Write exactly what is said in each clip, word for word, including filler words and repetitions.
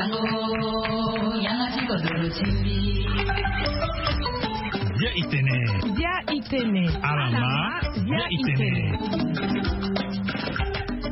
Bia itene. Bia itene. Alama. Bia itene.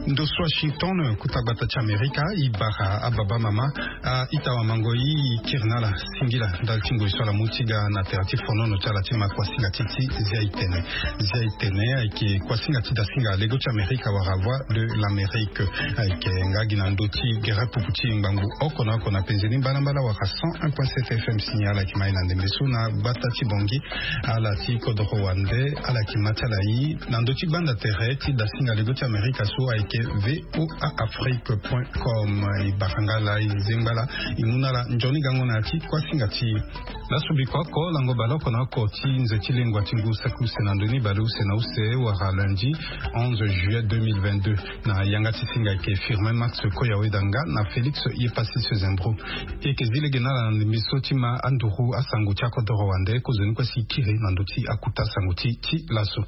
Ndo so Washington, kuta gbata ti Amerika, i bara ababa mama, a ita wa mango i kiri na ala singila ndali ti ngoi so ala mu ti ga na tere ti fonono ti ala ti ma kuasinga ti ti zia itene. Zia itene ayeke kuasinga ti dasinga lego ti Amerika wala Voix de l'Amérique. Ayeke nga gi na ndö ti gere pupu ti ngbangbu oko na oko na penze ni mbalambala wala cent un point sept F M. Signal ayeke ma ye na ndembe so na gbata ti Bangui. Ala ti kodoro wande ala yeke ma ti ala ye na ndö ti gbanda tere ti dasinga lego ti Amerika so ayeke V O A Afrique point com. E bara nga laa, e zengba laa, e mu na ala nzoni gango na ya ti kuasinga ti e. Laso biko oko lango bale oko na oko ti nze ti lengua ti ngu saki use na ndö ni bale use na use wala lundi onze juillet deux mille vingt-deux. Na yanga ti singa ayeke Firmin Max Koyaweda nga na Félix Yepassis Zembro. E yeke zi lege na ala na ndembe so ti ma anduru asango ti akodoro wande kozoni kue si e kiri na ndö ti akuta sango ti ti laso.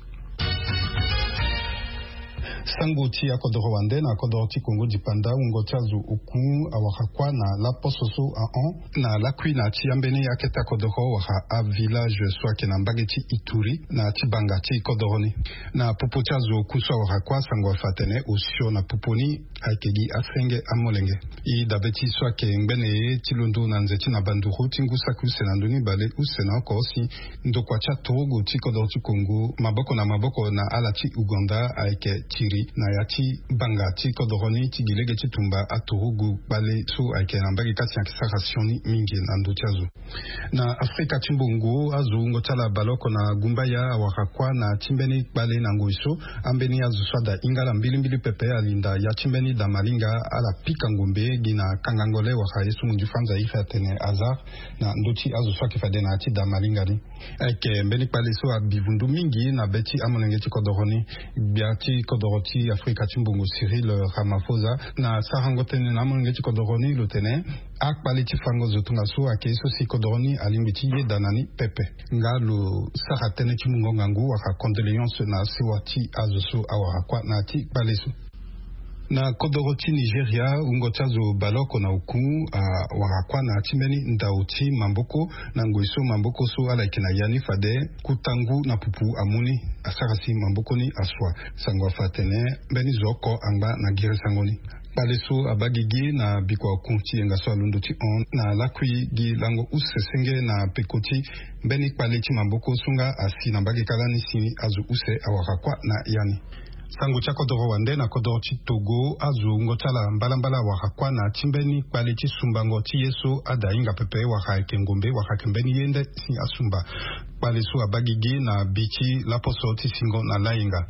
Sango ti akodoro wande na kodoro ti Kongo dipanda, wungo ti azo oku awara kuâ na laposo so ahon na lakui na ti ambeni akete akodoro wala avillage so ayeke na mbage ti Ituri na ti banga ti kodoro ni. Na popo ti azo oku so awara kuâ, sango afa atene osio na popo ni ayeke gi asenge amolenge. E dabe ti so ayeke ngbene ti londo na nze ti na banduru ti ngu saki use na ndö ni bale use na oko si ndokua ti aturugu ti kodoro ti Kongo maboko na maboko na ala ti Ouganda ayeke tiri na ya ti banga ti kodoro ni ti gi lege ti tumba aturugu kpale so ayeke na mbage kâ si ayeke sara sioni mingi na ndö ti azo. Na Afrika ti mbongo, azo wungo ti ala bale oko na gumbaya awara kuâ na ti mbeni kpale na ngoi so ambeni azo so ada hinga ala mbilimbili pepe alinda ya ti mbeni damalinga ala pika ngombe gi na kangango le wala ye so munzu fanza iri atene hasard na ndö ti azo so ayeke fade na ya ti damalinga ni. Ayeke mbeni kpale so abi vundu mingi na be ti amolenge ti kodoro ni. Gbia ti kodoro ti Afrika ti mbongo Cyril Ramaphosa na sarango tënë na amolenge ti kodoro ni lo tene akpale ti fango zo tongaso ayeke ye so si kodoro ni alingbi ti yeda na ni pepe. Nga lo sara tënë ti mungo ngangu wala condoléance na sewa ti azo so awara kuâ na ya ti kpale so. Na kodoro ti Nigeria, wungo ti azo baleoko na oku awara kuâ na ya ti mbeni ndao ti maboko na ngoi so maboko so ala yeke na ya ni fade kuta ngu na pupu amu ni asara si maboko ni asua. Sango afa atene mbeni zo oko angba na girisango ni. Kpale so abaa gigi na bikua oku ti yenga so alondo ti hon na lakui gi lango use senge na peko ti mbeni kpale ti maboko so nga asi na mbage kâ lani si azo use awara kuâ na ya ni. Sango ti akodoro wande na kodoro ti Togo, azo wungo ti ala mbalambala awara kuâ na ya ti mbeni kpale ti sumbango ti ye so ada hinga pepe wala ayeke ngombe wala ayeke mbeni ye nde si asumba. Kpale so abaa gigi na bi ti laposo ti singo na layenga.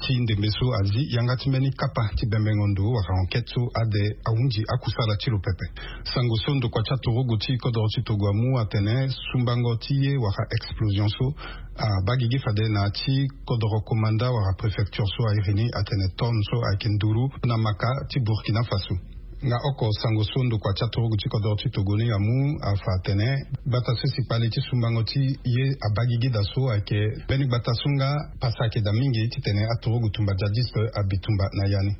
Ti ndembe so azi yanga ti mbeni kapa ti bembengo ndo wala enquête so ade ahunzi akusala ti lo pepe. Sango so ndokua ti aturugu ti kodoro ti Togo amu atene sumbango ti ye wala explosion so abaa gigi fade na ya ti kodoro komanda wala préfecture so a iri ni atene tonne so ayeke nduru na maka ti Burkina Faso. Nga oko sango so ndokua ti aturugu ti kodoro ti Togo ni amu afa atene gbata so si kpale ti sumbango ti ye abaa gigi daa so ayeke mbeni gbata so nga pasa ayeke daa mingi titene aturugu tumba djihadiste abi tumba na ya ni.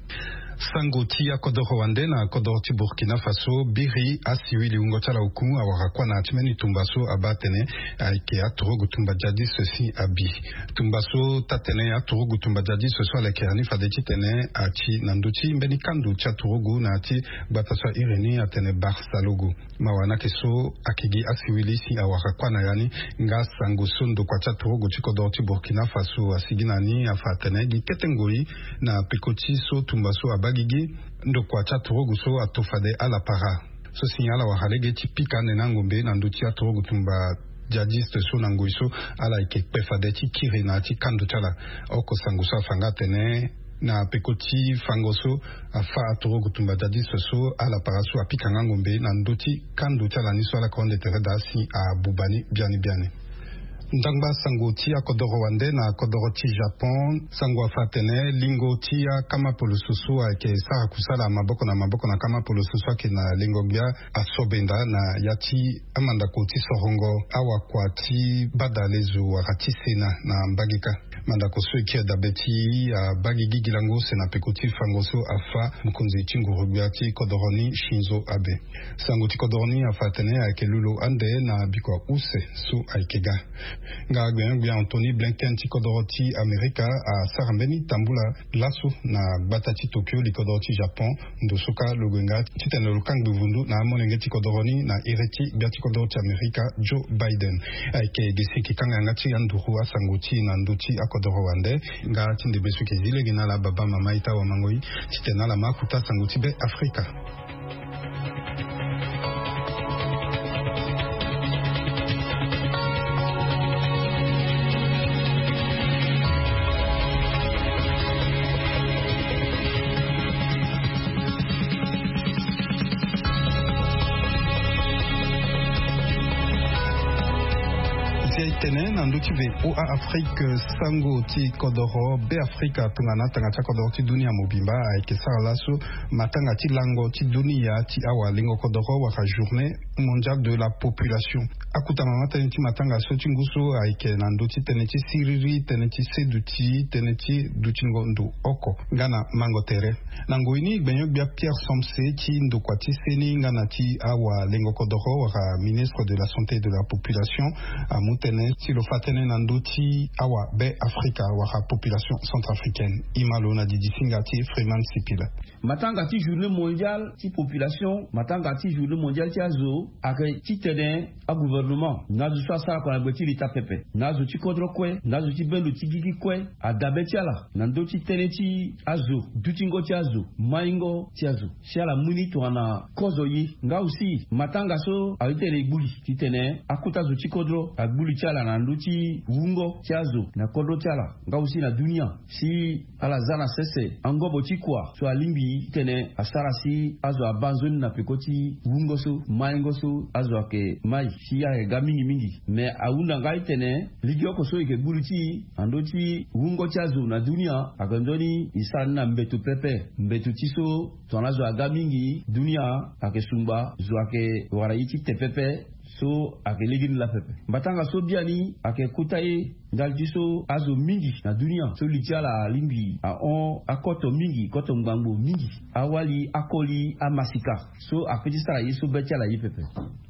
Sango ti akodoro wande na kodoro ti Burkina Faso, biri asiwili wungo ti ala oku awara kuâ na ya ti mbeni tumba so abaa atene ayeke aturugu tumba djihadiste si abi. Tumba so taa-tënë aturugu tumba djihadiste so ala yeke ya ni fade titene ati na ndö ti mbeni kando ti aturugu na ya ti gbata so a iri ni atene Barsalogo. Mawa ni ayeke so ayeke gi asiwili si awara kuâ na ya ni. Nga sango so ndokua ti aturugu ti kodoro ti Burkina Faso asigi na ni afa atene gi kete ngoi na peko ti so tumba so abaa gigi, ndokua ti aturugu so ato fade ala para so si ala wara lege ti pika ande na angombe na ndö ti aturugu tumba djihadiste so na ngoi so ala yeke kpe fade ti kiri na ya ti kando ti ala. Oko sango so afa nga atene na peko ti fango so afa aturugu tumba djihadiste so ala para so apika nga ngombe na ndö ti kando ti ala ni so ala yeke hon nde tere daa si abuba ni biani biani. Ndangba sango ti akodoro wande na kodoro ti Japon, sango afa atene lingo ti akama poloso so ayeke sara kusala maboko na maboko na kama poloso so ayeke na lengo-gbia asobenda na ya ti amandako ti sorongo awakua ti bada lezo wala ti sena na mbage kâ. Mandako so eke adabe ti abaa gigi lango use na peko ti fango so afa mokonzi ti nguru-gbia ti kodoro ni Shinzo Abe. Sango ti kodoro ni afa atene ayeke lolo ande na bikua use so ayeke ga. Nga gbenyo-gbia Anthony Blinken ti kodoro ti Amerika asara mbeni tambula laso na gbata ti Tokyo li kodoro ti Japon, ndo so kâ lo gue nga titene lo kangbi vundu na amolenge ti kodoro ni na iri ti gbia ti kodoro ti Amerika Joe Biden. Ayeke gi si eke kanga yanga ti anduru asango ti e na ndö ti akodoro wande. Nga ti ndembe so eke zi lege na ala baba mama ita wamango-i titene ala ma akuta sango ti Be Afrika. Zia e tene na ndö ti V O A Afrique, sango ti kodoro Be Afrika tongana atanga ti akodoro ti dunia mobimba ayeke sara laso matanga ti lango ti dunia ti awalengo kodoro wala journée mondiale de la population. Akota mama tënë ti matanga so ti ngu so ayeke na ndö ti tënë ti siriri, tënë ti seduti, tënë ti dutingo ndo oko nga na mango tere. Na ngoi ni gbenyo-gbia Pierre Somse ti ndokua ti seni nga na ti awalengo kodoro wala ministre de la santé et de la population amu tënë ti lo fa tënë na ndö ti awa Be Afrika wala population centrafricaine. E ma lo na didi singa ti Freeman Sipila. Matanga ti journée mondiale ti population, matanga ti journée mondiale ti azo ayeke titene agouvernement na azo so asara kua na gbe ti leta pepe, na azo ti kodro kue, na azo ti bendo ti gigi kue, adabe ti ala na ndö ti tënë ti azo, dutingo ti azo, maingo ti azo, si ala mu ni tongana kozo ye. Nga aussi matanga so aye titene e gbu li titene akota zo ti kodro agbu li ti ala na ndö ti wungo ti azo na kodro ti ala, nga aussi na dunia, si ala za na sese angobo ti kua so alingbi titene asara si azo abaa nzoni na peko ti wungo so, maingo so azo ayeke mai, si ayeke ga mingi mingi. Me ahunda nga titene lege oko so e yeke gbu li ti e na ndö ti wungo ti azo na dunia ayeke nzoni e sara ni na mbeto pepe, mbeto ti so tongana azo aga mingi, dunia ayeke sungba, zo ayeke wara ye ti te pepe. So ayeke legeni laa pepe. Mbatanga so biani ayeke kota ye ndali ti so azo mingi na dunia so li ti ala alingbi ahon akoto mingi, koto ngbangbo mingi, awali akoli amasika. So ape ti sara ye so be ti ala ye pepe.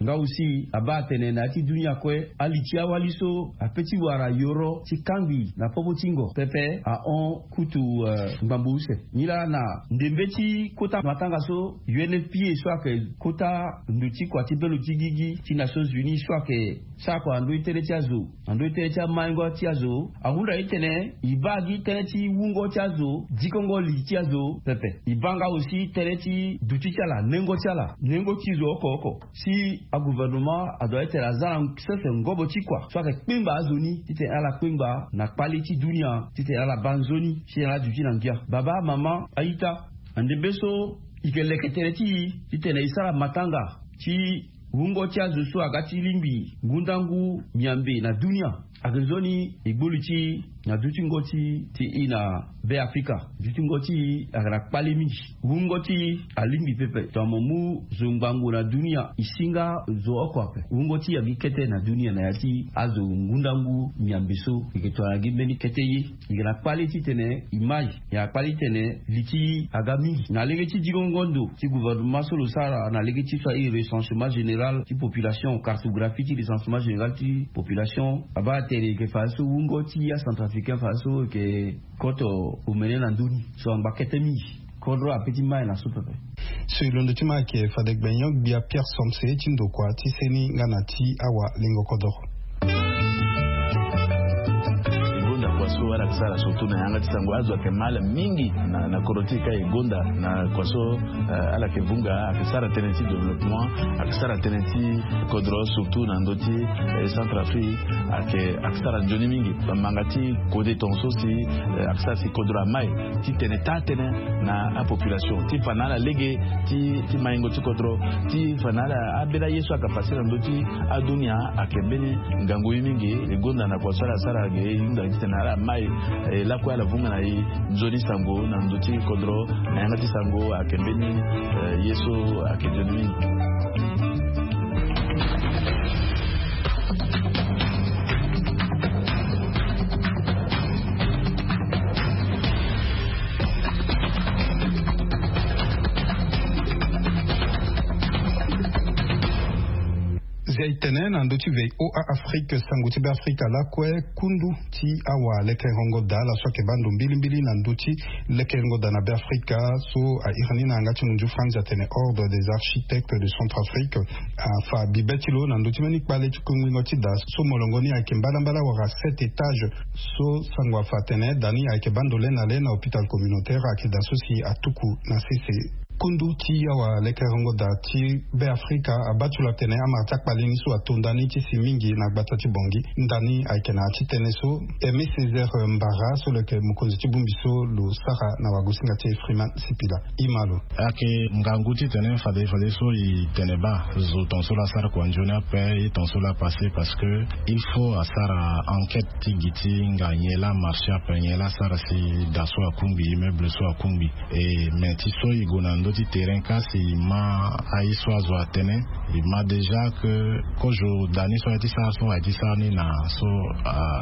Nga aussi abaa atene na ya ti dunia kue, ali ti awali so ape ti wara yoro ti kangbi na popo ti ngo pepe ahon kutu, eh, ngbangbo use. Nilaa na ndembe ti kota matanga so U N F P A so ayeke kota ndo ti kua ti bendo ti gigi ti Nations Unies so ayeke sara kua na ndö ti tënë ti azo, na ndö ti tënë ti amaingo ti azo, ahunda ye titene e baa gi tënë ti wungo ti azo, dikongo li ti azo pepe. E baa nga aussi tënë ti duti ti ala, nengo ti ala, nengo ti zo oko oko. Si agouvernement adoit titene aza na sese ngobo ti kua so ayeke kpengba azo ni titene ala kpengba na kpale ti dunia titene ala baa nzoni si ala duti na ngia. Baba, mama, a-ita, na ndembe so e yeke leke tënë ti e titene e sara matanga ti wungo ti azo so aga ti lingbi ngundangu miambe na dunia. Ayeke nzoni e gbu li ti e na dutingo ti, ti e na Be Afrika, dutingo ti e ayeke na kpale mingi. Wungo ti e alingbi pepe tongana mo mu zo ngbangbo na dunia, e si nga zo oko ape. Wungo ti e agi kete na dunia na ya ti azo ngundangu miambe so. E yeke tongana gi mbeni kete ye. E yeke na kpale titene e mai. E na kpale titene li ti e aga mingi na lege ti dikongo ndo ti gouvernement so lo sara na lege ti so airi recensement général ti population, cartographie ti recensement général ti population. Abaa atene e yeke fadeso wungo ti acentrafricain fadeso e yeke koto omene na ndö ni so angba kete mingi. Kodro ape ti mai na so pepe. So e londo ti mai ayeke fade gbenyo-gbia Pierre Somse ti ndokua ti seni nga na ti awalengo kodoro. Gonda kua so ala Sara surtout na yanga ti sango azo ayeke mal mingi na kodro ti e ka e gonda na kua so. Ala yeke vunga ayeke sara tënë ti développement, ayeke sara tënë ti kodro surtout na ndö ti centre afrique. Ayeke sara nzoni mingi bamanga ti kode tonga so si ayeke sara si kodro amai ti tene taa tënë na apopulation ti fa na ala lege ti maingo ti kodro ti fa na ala. Ambeni aye so ayeke pase na ndö ti adunia ayeke mbeni ngangu ye mingi. E gonda na kua so ala sara ge e hunda titene ala mai e lakue ala vunga na e nzoni sango na ndö ti kodro. Na yanga ti sango ayeke mbeni ye so ayeke nzoni mingi. Zia e tene na ndö ti voa afrique sango ti beafrika lakue kundu ti awalekerengo daa ala so ayeke baa ndo mbilimbili na ndö ti lekerengo daa na beafrika so a iri ni na yanga ti munzu france atene ordre des architectes de centre afrique afa bibe ti lo na ndö ti mbeni kpale ti kungbingo ti daa so molongo ni ayeke mbalambala wala sept étages. So sango afa atene daa ni ayeke baa ndo le na le na hôpital communautaire ayeke daa so si atuku na sese. Kundu ti awalekerengo daa ti beafrika abaa ti lo atene amara ti akpale ni so ato ndani ti si mingi na gbata ti bongi. Ndani ayeke na ya ti tënë so aimé césaire mbara so lo yeke mokonzi ti bongbi so lo sara na wagosinga ti e freeman sipila. Ima lo. Ayeke ngangu titene fade fade so e tene baa zo tonga so lo asara kua nzoni ape ye tonga so lo apase parce que il faut asara enquête ti gi ti nga nyen laa amarché ape nyen laa asara si daa so akungbi immeuble so akungbi. E mais ti so e gue na ndö ti terrain kasi e ma aye so azo atene e ma déjà que kozo daa ni so aye ti sara so aye ti sara ni na so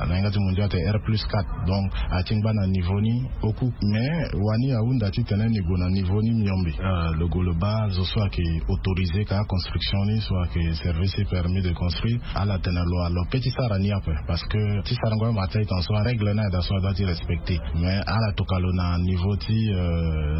na yanga ti mondial ate r plus quatre. Donc aye ti ngba na niveau ni oku mais wani ahunda titene ni gue na niveau ni miombe. Lo gue lo baa zo so ayeke autorisé ka construction ni so ayeke service permis de construire ala tene lo alo pe ti sara ni ape. Parce que ti sarango amara ti aye tonga so arègle ni aye daa so adoit ti respecté. Mais ala tokua lo na niveau ti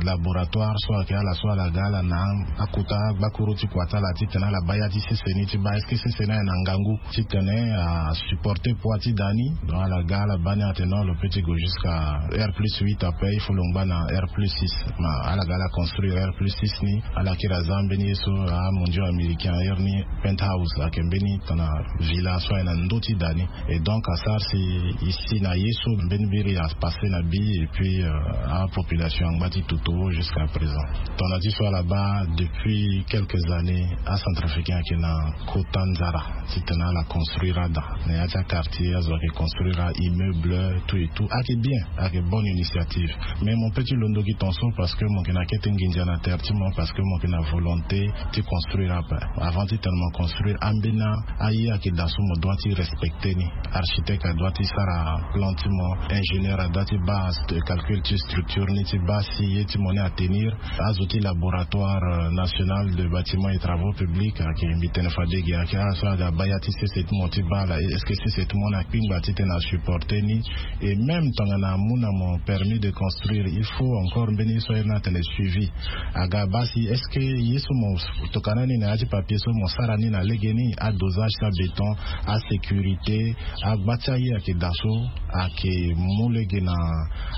laboratoire so ayeke ala so ala ga ala na akota agbakuru ti kua ti ala titene ala baa ya ti sese ni ti baa est-ce que sese ni aye na ngangu titene asupporté poids ti daa ni. Donc ala ga ala baa ni atene non lo pe ti gue jusqu'à r plus huit ape il faut lo ngba na r plus six. Ma ala ga ala construire r plus six ni ala kiri aza mbeni ye so amondio américain ayer ni penthouse ayeke mbeni tana villa so aye na ndö ti daa ni. Et donc asara si e si na ye so mbeni biri apassé na bi et puis apopulation angba ti toto jusqu'à présent. Tongana ti so ala baa depuis quelques années acentrafricain ayeke na kota nzara titene ala construire ada na ya ti aquartier azo ayeke construire aimmeuble tout et tout ayeke bien. Ayeke bonne initiative. Mais mo pe ti londo gi tonso parce que mo yeke na kete nginza na terre ti mo parce que mo yeke na volonté ti construire ape. Avant titene mo construire ambeni aye ayeke daa so mo doit ti respecté ni. Architecte adoit ti sara plan ti mo. Ingénieur adoit ti baa calcul ti structure ni ti baa si ye ti mo ni atenir. Azo ti laboratoire national de bâtiment et travaux publics ayeke mbi tene fade gi ayeke ala so aga baa ya ti sese ti mo ti baa ala est-ce que sese ti mo ni akpingba titene asupporté ni? Et même tongana amu na mo permis de construire il faut encore mbeni ye so aye ni atene suivi. Aga baa si est-ce que ye so mo tokana ni na ya ti papier so mo sara ni na lege ni adosage ti abéton, asécurité, agba ti aye ayeke daa so ayeke mu lege na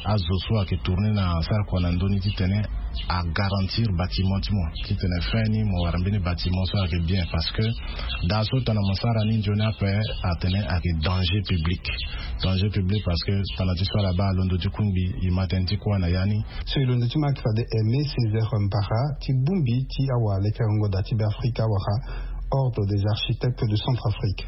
azo so ayeke tourné na sara kua na ndö ni titene agarantir bâtiment ti mo titene fin ni mo wara mbeni bâtiment so ayeke bien parce que daa so tongana mo sara ni nzoni ape atene ayeke danger public. Danger public parce que tongana ti so ala baa alondo ti kungbi e ma tënë ti kuâ na ya ni. So e londo ti ma ayeke fade aimé césaire mbara ti bongbi ti awalekerengo daa ti beafrika wala ordre des architectes de centrafrique.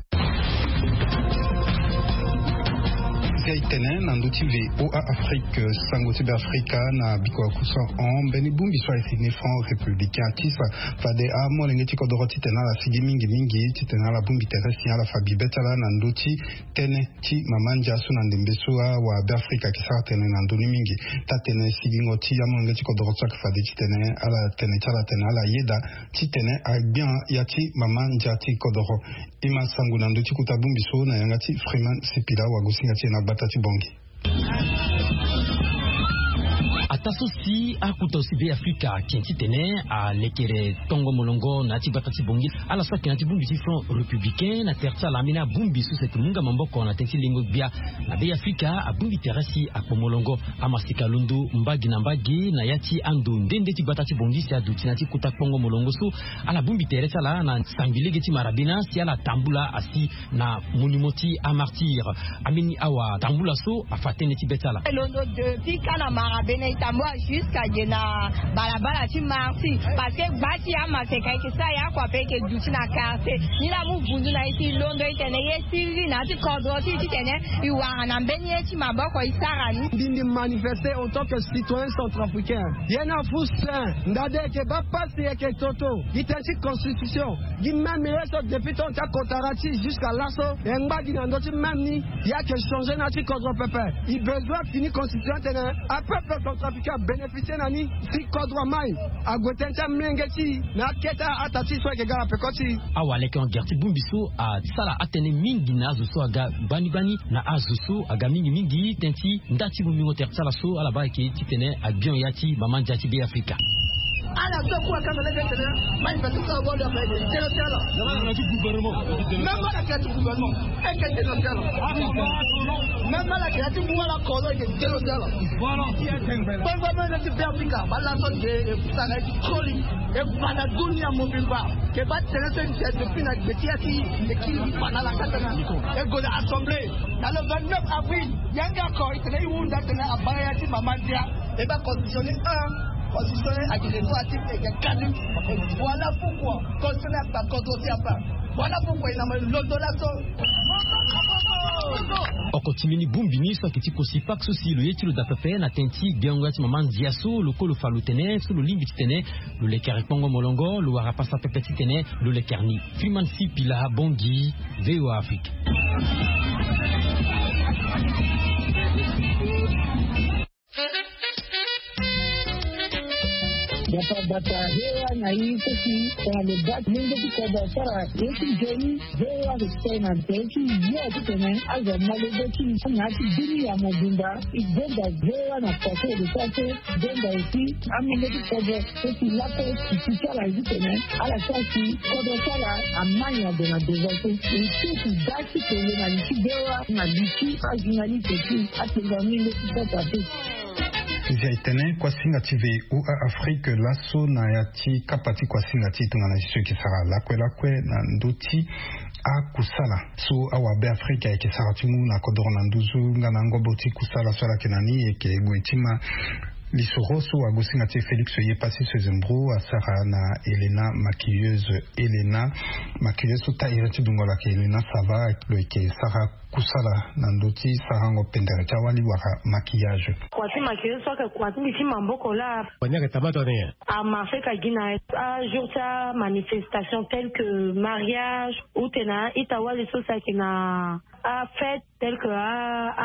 Zia e tene na ndö ti voa afrique sango ti beafrika na biko akusa hon mbeni bongbi so ayeke ne front républicain atisa fade amolenge ti kodoro titene ala sigi mingimingi titene ala bongbi tere si ala fa bibe ti ala na ndö ti tënë ti mama ndia so na ndembe so awa beafrika ayeke sara tene na ndö ni mingi. Taa-tënë sigingo ti amolenge ti kodoro so ayeke fade titene ala tene ti ala tene ala yeda titene agbia ya ti mama ndia ti kodoro. E ma sango na ndö ti kota bongbi so na yanga ti freeman sipila wagosinga ti e na gbata ti bongi. Taa so si akuta aussi Be Afrika ake titene alekere tongo molongo na ya ti gbata ti Bangui, ala so ake na ya ti bongbi ti Front Républicain na tere ti ala ambeni abongbi so si ake mu nga maboko na tënë ti lengo gbia na Be Afrika abongbi tere si akpo molongo. Amasika londo mbage na mbage na ya ti ando nde nde ti gbata ti Bangui si aduti na ya ti kota kpongo molongo so, ala bongbi tere ti ala na sangbi lege ti marabena si ala tambula asi na monument ti amartyr. Ambeni awa tambula so afa tënë ti be ti ala. E londo depuis ka na marabena e tambula jusqu'à ge na balabala ti martyr, parce que gba ti amaseka eke sara ya kua pe eke duti na quartier ni la mu vundu na e si londo e tene ye siriri na ya ti kodro ti e titene e wara na mbeni ye ti maboko e sara ni. Ndindi manifester en tant que citoyen centrafricain. Ye na fu sen ndade eke baa pasi eke toto gi tënë ti constitution. Gi même ye so depuis temps ti akotara ti jusqu'à laso e ngba gi na ndö ti même ni. Ya ke changer na ti kodro pepe. I besoin fini constitution tene apeuple centrafricain abénéficier na ni. Si kodro amai ague tënë ti amlenge ti i na akete ata ti so eke ga na peko ti i. Awa leke en guerre ti bongbi so asala atënë mingi na azo so aga gbani gbani na azo so aga mingi mingi tënë ti nda ti bongbingo tere ti ala so ala baa eke titene abion ya ti mama ndia ti Be Afrika. Ala so kue akanga lege tene mai fati so awali aka eke tene ti ala. Même ala ke ti gouvernement eke tene ti ala. Même ala ke ti mu ala kolo eke tene ti ala. Kpengba mene ti Be Afrika bala so ge e sara e ti koli e fa na dunia mobimba. Ke baa tene so e nze depuis na gbe ti ya ti e kiri fa na ala ka tene e gue na assemblée na le vingt-neuf avril. Yanga ako e tene e hunda tene abaa ya ti mama ndia. E baa constitution ni un constitution ni ake le droit ti eke kani. Voilà pourquoi constitution ni apa kodro ti apa. Voilà pourquoi e na ma londo laso. Oko ti mbeni bongbi ni so ake ti kosi pake so si lo ye ti lo daa pepe na tënë ti gbengo ya ti mama ndia so lo kue lo fa lo tene so lo lingbi titene lo lekere kpongo molongo lo wara pasa pepe titene lo lekere ni. Freeman Sipila Bangui, VOA Afrique. Gbata gbata, hewa na i kosi tongana lo baa ti lenge ti kodro asara ye ti nzoni. VOA respect na nzoni ti yo titene azo amolenge ti i na ya ti dunia mobimba. I gbenda VOA na pase lo sara so gbenda aussi amolenge ti kodro. Eti lape ti ti ti ala zi tene ala sara si kodro ti ala amai ado na devant so. E ti ti da ti tene na li ti bewa na li ti ajournaliste ti atenga mingo ti sasa te. Nzia e tene kuasinga ti VOA Afrique laso na ya ti kapa ti kuasinga ti e tongana si so e yeke sara lakue lakue na ndö ti akusala so awabe Afrika e yeke sara ti mu na kodoro na nduzu nga na ngobo ti kusala so ala yeke na ni e yeke gue ti ma lisoro so agosinga ti e Félix Yepasi Sezembro asara na Helena maquilleuse. Helena maquilleuse so taille ti dungo lo ayeke Helena Sava lo yeke sara kusala na ndö ti sarango pendere ti awali wala maquillage. Kua ti maquilleuse so ayeke kua ti mbi ti maboko laa. Wani ayeke tabata ni nyen? Amarché ka gi na ajour ti amanifestation tel que mariage ou tena ita wali so si ayeke na afête tel que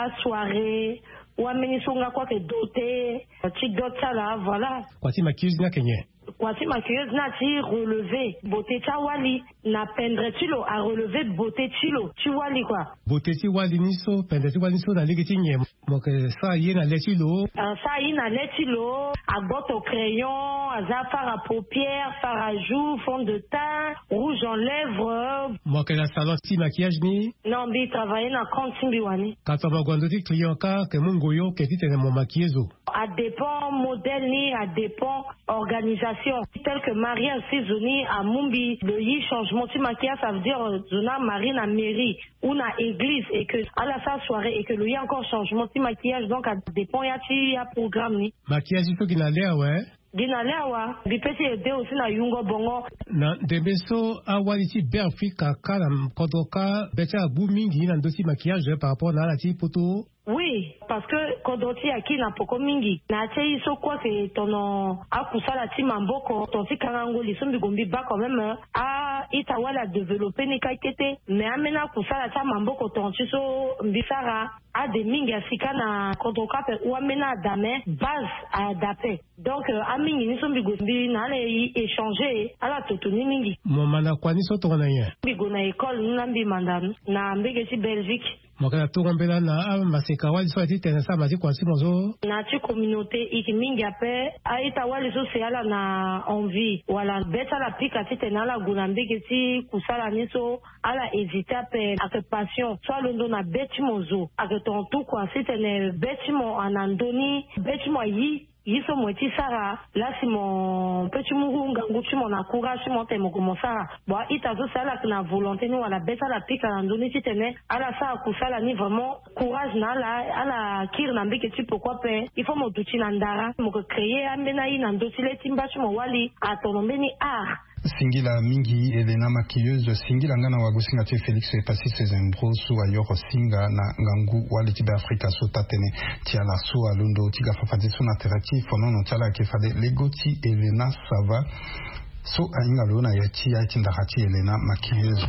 asoirée ou ambeni so nga kue ayeke doté ti dot ti ala voilà. Kua ti maquilleuse ni ayeke nyen? Kua ti maquilleuse ni ati relever beauté ti awali na pendre ti lo arelever beauté ti lo ti wali kua. Beauté ti wali ni so pendre ti wali ni so na lege ti nyen? Mo yeke sara ye na le ti lo. Asara ye na le ti lo. Agboto crayon, aza fard à paupière, fard à joues, fond de teint, rouge en lèvres. Mo yeke na salon ti maquillage ni? Non, mbi travailler na compte ti mbi wani. Ka tongana mo gue na ndö ti client ka yeke mu ngoyo ke titene mo maquiller zo? Adépend modèle ni, adépend organisation. Tel que mariage si zo ni amu mbi lo yi changement ti maquillage, ça veut dire zo ni amarie na mairie ou na église et que ala sara soirée et que lo ye encore changement ti maquillage, donc adépend ya ti aprogramme ni. Maquillage ni so gi na le awe? Gi na le awa. Mbi pe ti aide aussi na yungo bongo. Na ndembe so awali ti Beafrika ka na kodro ka be ti ala gbu mingi na ndö ti maquillage par rapport na ala ti poto? Oui, parce que kodro ti e aki na poko mingi na ya ti aye so kue ayeke tono akusala ti maboko ton ti kangango li so mbi gue mbi baa quand même. A-ita wali adéveloppé ni kâ kete. Mais ambeni akusala ti amaboko ton ti so mbi sara ade mingi asi kâ na kodro kâ ape ou ambeni ada mais base ada ape. Donc amingi ni so mbi gue mbi na ala e échanger ala toto ni mingi. Mo manda kua ni so tongana nyen? Mbi gue na école ni laa mbi manda ni na mbege ti Belgique. Mo yeke na togo mbela na amaseka wali so aye titene asara ma ti kua ti mo so. Na ti communauté ike mingi ape. A-ita wali so si ala na envie wala be ti ala pika titene ala gue na mbege ti kusala ni so, ala hésiter ape. Ayeke passion so alondo na be ti mo zo, ayeke tonga tout kua titene be ti mo ana ndö ni, be ti mo ayi ye so mo ye ti sara. Lasi mo pe ti mu ngangu ti mo na courage ti mo tene mo gue mo sara. Bon, a-ita so si ala yeke na volonté ni wala be ti ala pika na ndö ni titene ala sara kusala ni, vraiment courage na ala. Ala kiri na mbege ti poko ape. Il faut mo duti na ndara, mo yeke créer ambeni aye na ndö ti le ti mba ti mo wali atono mbeni art. Singila mingi Helena Maquilleuse, singila nga na wagosinga ti e Félix Epasis Zembro so ayoro singa na ngangu wali ti Beafrika so taa-tënë ti ala so alondo ti ga fa fadeso na tere ti fonono ti ala. Ayeke fade lego ti Helena Sava so ahinga lo na ya ti aye ti ndara ti Helena Maquilleuse.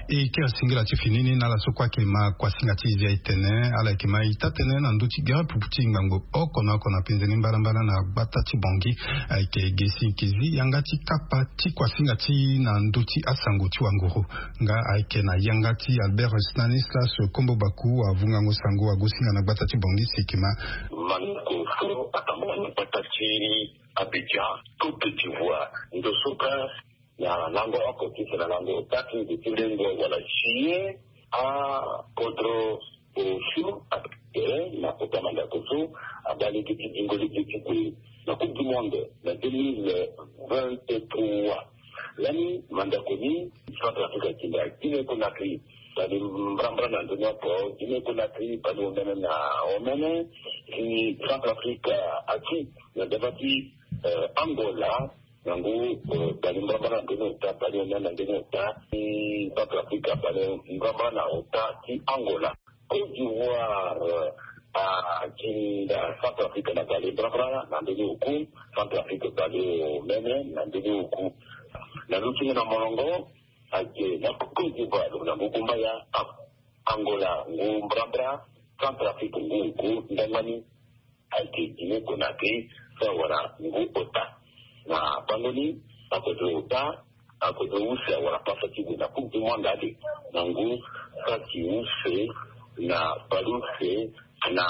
E kiri singila ti fini ni na ala so kue ayeke ma kuasinga ti e zi aye tene. Ala yeke ma ita tënë na ndö ti gere pupu ti ngbangbo oko na oko na penze ni mbalambala na gbata ti Bangui. Ayeke ge si e yeke zi yanga ti kapa ti kuasinga ti e na ndö ti asango ti wanguru. Nga ayeke na yanga ti Albert Stanislas Kombo Baku, avungango sango, agosinga na gbata ti Bangui si e yeke ma. Manoko so atambula na gbata ti Abidjan, Côte d'Ivoire, ndo so kâ na lango oko ti fa na lango ota ti nze ti lengo wala juillet, akodro osio ayeke tere na kota mandako so abaa lege ti zingo lege ti gue na Coupe du Monde na deux mille vingt-trois. Lani mandako ni, Centrafrique ayeke na Guinée Conakry, bale mbrambra na ndoni oko. Guinée Conakry bale omene na omene, si Centrafrique ati na dava ti, eh, Angola, na ngu, eh, bale mbrambra na ndoni ota, bale omene na ndoni ota, si Centrafrique bale mbrambra na ota ti Angola. Côte d'Ivoire, ah, atinda Centrafrique na bale mbrambra na ndoni oku, Centrafrique bale omene na ndoni oku. Na lutingo na molongo, ayeke na Côte d'Ivoire lo na ngu kumbaya, ah, Angola ngu mbrambra, Centrafrique ngu oku, ndangba ni ayeke Guinée Conakry so awara ngu ota. Na bango ni, akodro ota, akodro use awara pasa ti gue na Coupe du Monde ade na ngu saki use na bale use na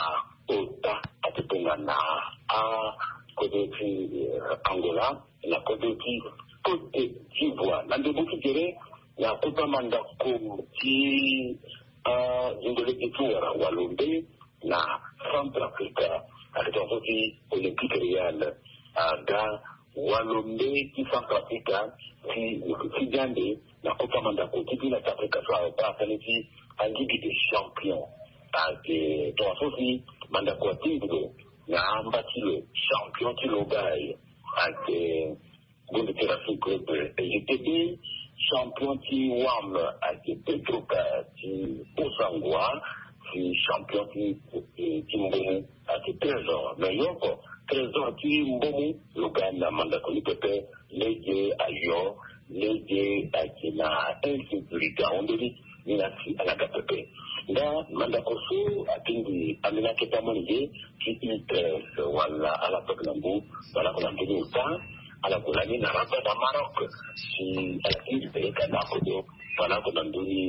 ota ati tongana akodro ti, eh, Angola na kodro ti Côte d'Ivoire. Na ndembo ti gere, na kota mandako ti, ah, zingo lege ti wara walombe na Centrafrique, ayeke tongaso ti Olympique Real aga walombe ti Centrafrique ti, ti diande na kota mandako ti bina ti Afrika so abaa tënë ti Ligue des Champions. Ayeke tongaso ti mandako atingbi lo na amba ti lo, champion ti lo ga ayeke Gonde ti Racing Club, eh, G T B, champion ti wam ayeke Petroca ti Bossangoa, ti champion ti, eh, ti Mbomou ayeke Trésor. Mais yo oko, Trésor ti Mbomou, lo ga na mandako ni pepe, lege ayo, lege ayeke na insécurité ahon ndö ni. Ni na si ala ga pepe. Nga mandako so atingbi ambeni akete amolenge ti U treize wala ala toke na ngu, wala oko na ndö ni ota, ala gue lani na Rabat na Maroc. Si ala tingbi peleka na akodo, wala oko na ndö ni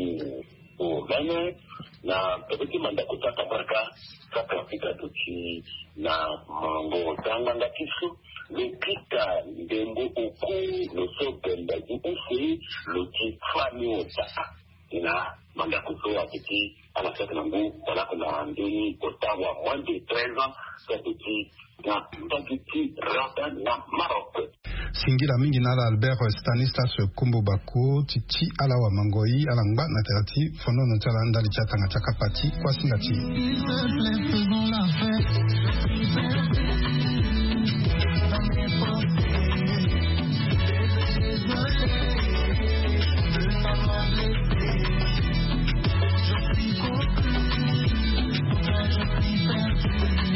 omene, na pepe ti mandako ti atambaraka, Centrafrique aduti na molongo ota ngbanga ti so, lo kita ndembo oku, lo so bembe ti use, lo ti fani ota. Na mandako so aduti ala saki na ngu, wala oko na ndö ni ota wa moins de treize ans, so aduti na ndali ti Rabat na Maroc. Singila mingi na ala Albert Stanislas Kombo Bako ti ti ala wamangoi, ala ngba na tere ti fonono ti ala ndali ti atanga ti akapa ti kuasinga ti e.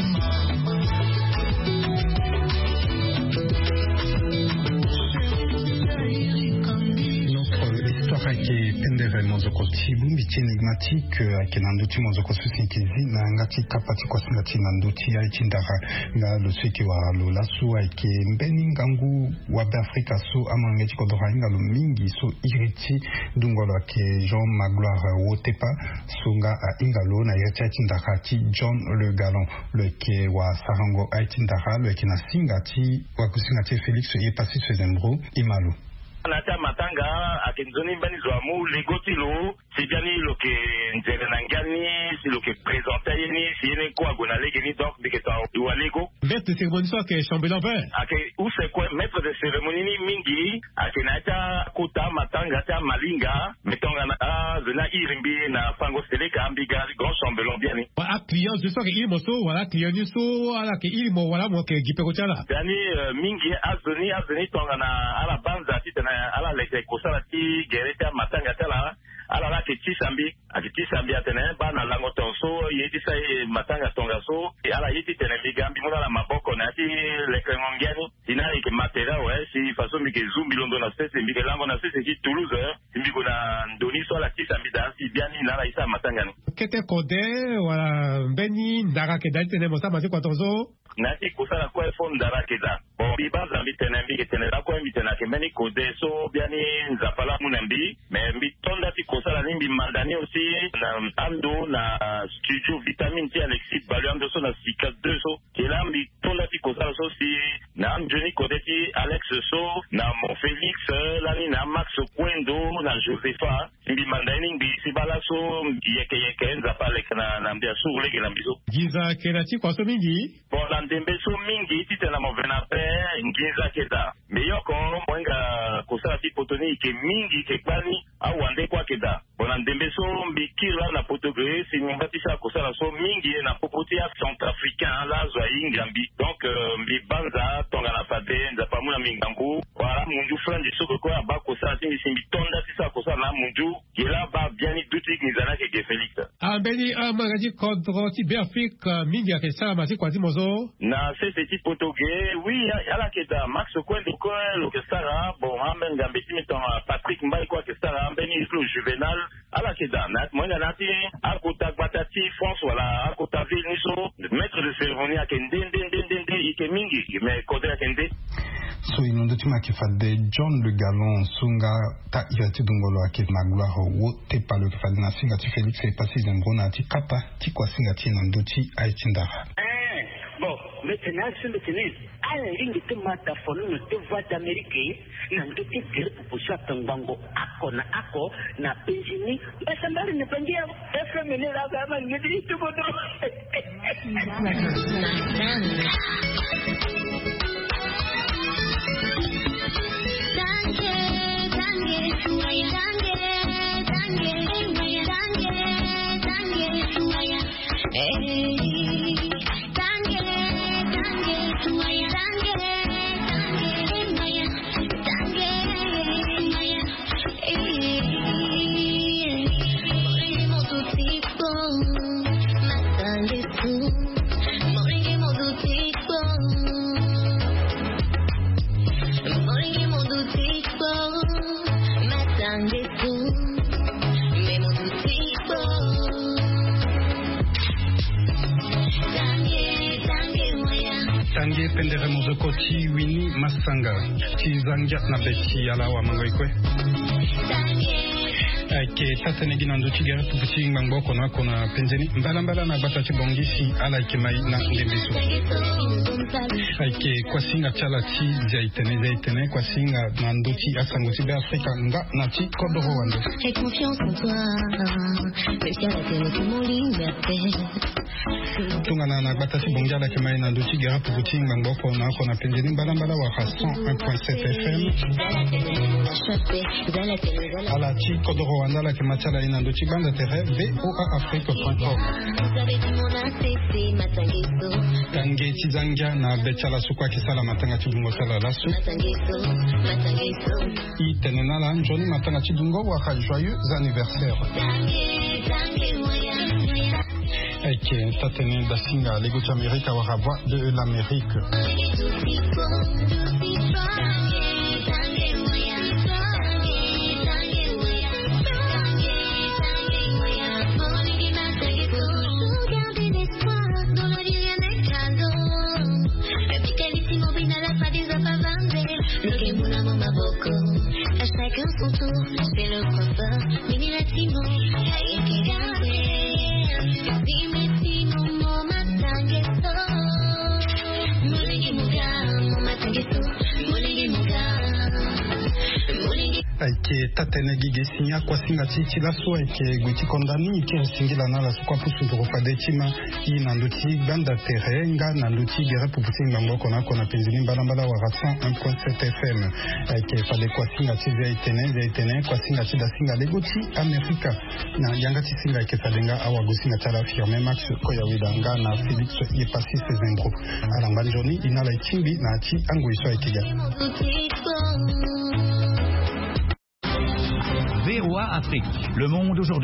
Mozoko ti bongbi ti enigmatique, eh, ayeke na ndö ti mozoko so si yeke zi na yanga ti kapa ti kuasinga ti e na ndö ti aye ti ndara. Nga lo so yeke wara lo laso ayeke mbeni ngangu wa Beafrika so amolenge ti kodoro ahinga lo mingi so iri ti dungo lo ayeke Jean Magloire Wotepa, so nga ahinga lo na iri ti aye ti ndara ti John Le Galant. Lo yeke wasarango aye ti ndara, lo yeke na singa ti wakusinga ti e Félix Epassi Sezembro. Ima lo. Na ya ti amatanga, ayeke nzoni mbeni zo amu lego ti lo, si biani lo yeke nzere na ngia ni, si lo yeke présenter aye ni, si ye ni kue ague na lege ni, donc mbi yeke to wali lego. Maître de cérémonie so ayeke chambellan vert. Ayeke use kue, maître de cérémonie ni mingi ayeke na ya ti akota amatanga ti amalinga. Me tongana azo ni airi mbi na fango seleka, mbi ga grand chambellan biani. Wala aclient zo so ayeke iri mo so, wala aclient ni so ala yeke iri mo, wala mo yeke gi peko ti ala. Biani, eh, mingi azo ni, azo ni tongana ala banza titene ala leke kosala ti gere ti amatanga ti ala, ala la ayeke tisa mbi. Ayeke tisa mbi atene, eh, baa na lango tongaso, ye ti sa ye matanga tongaso, e ala ye titene mbi ga mbi mu na ala maboko na ya ti lekerengo ngia ni. Si na ala yeke matériel awe, si façon mbi yeke zu mbi londo na sese, mbi yeke lango na sese ti Toulouse, eh, si mbi gue na ndo ni so ala tisa mbi daa, si biani na ala ye sara matanga ni. Kete kode, wala mbeni ndara ayeke daa titene mo sara matanga so? Na ya ti kosala kue fo ndara ayeke daa. Bon, mbi banza mbi tene, mbi yeke tene lakue, mbi tene ayeke mbeni kode so biani Nzapa laa amu na mbi. Me mbi to nda ti kosala ni, mbi manda ni aussi na ando na studio Vitamine ti Alexis Balu, ando so na Sika deux so. Ke laa mbi to nda ti kosala so si na anzoni kode ti Alex so, na Mon Félix, lani na Max Kuendo, na Josepha. Mbi manda ye ni ngbii si baa laso yeke yeke Nzapa aleke na, na mbi asuru lege na mbi so. Nginza ayeke na ti kua so mingi. Bon, na ndembe so mingi titene mo ve na ape, nginza ayeke daa. Mbi yoko, mo hinga kosala ti poto ni yeke mingi, yeke kpani, awande kue ayeke daa. Bon, na ndembe so mbi kiri laa na poto ge, si mbi ngba ti sara kosala so mingi na popo ti acentrafricain laa azo ahinga mbi. Donc, euh, mbi banza tongana fade Nzapa amu na mbi ngangu. Wala mundu franzi so kue abaa kosala ti mbi si mbi to nda ti sara kosala na amundu. Ge laa abaa biani duti nginza ni ayeke ge Félix. Ah, mbeni, ah, amolenge ti kodro ti Beafrika mingi ayeke sara ma ti kua ti mo so? Na sese ti poto ge, oui, ala yeke daa. Max Kuendo kue lo yeke sara. Bon, ambeni ngambe ti mbi tongana Patrick Mbaye kue ayeke sara, ambeni Islo Juvenal. Ala yeke daa. Na mo hinga na ya ti akota gbata ti France wala akota ville ni so, maître de cérémonie ayeke nde, nde, nde, nde, nde, e yeke mingi, mais kode ayeke nde. So e londo ti mo ayeke fade John Le Galant so nga ta iri ti dungolo ayeke Magloire Wotepa, lo yeke fade na singa ti Félix Epassi Zembro na ya ti kapa ti kuasinga ti e na ndö ti aye ti ndara. Eh, bon, mbi tene aso mbi tene ala lingbi ti ma ta fonono ti Voix d'Amérique na ndö ti gere pupu so ayeke ngbongo oko na oko na penzi ni. Mbasambala ni bangi ya F M ni laa ga ama ngedi ti kodro. Tange pendere mozoko ti Winnie Massanga. Ti za ngia na be ti ala wamango e kue. Ayeke taa-tënë gi na ndö ti gere pupu ti ngbangbo oko na oko na penze ni, mbalambala na gbata ti Bangui si ala yeke mai na ndembe so. Ayeke kuasinga ti ala ti zia itene, zia itene, kuasinga na ndö ti asango ti Beafrika nga na ti kodoro wande. Tongana na gbata ti Bangui ala yeke mai na ndö ti gere pupu ti ngbangbo oko na oko na penze ni, mbalambala wala cent un point sept F M. Ala ti kodoro wande ala yeke ma ti ala ye na ndö ti gbanda tere V O A Afrique point com. Tange ti za ngia na be ti ala so kue ayeke sala matanga ti bungo sala laso. E tene na ala nzoni matanga ti dungo wala joyeux anniversaire. Ayeke taa-tënë dasinga lego ti Amerika wala Voix de l'Amérique. Ayeke taa-tënë gi ge si ni akuasinga ti e ti laso ayeke gue ti konda ni ti singila na ala so kue apusu nduru fade ti ma. I na ndö ti gbanda tere nga na ndö ti gere pupu ti ngbangbo oko na oko na penzi ni mbalambala wala cent un point sept F M. Ayeke fade kuasinga ti Via Etene, Via Etene kuasinga ti dasinga lego ti Amerika. Na yanga ti singa ayeke fade nga awagosinga ti ala Firmin Max Koyaweda nga na Félix Yepassis Zembro. Ala ngba nzoni i na ala e tingbi na ya ti angoi so ayeke ga. V O A Afrique, le monde aujourd'hui.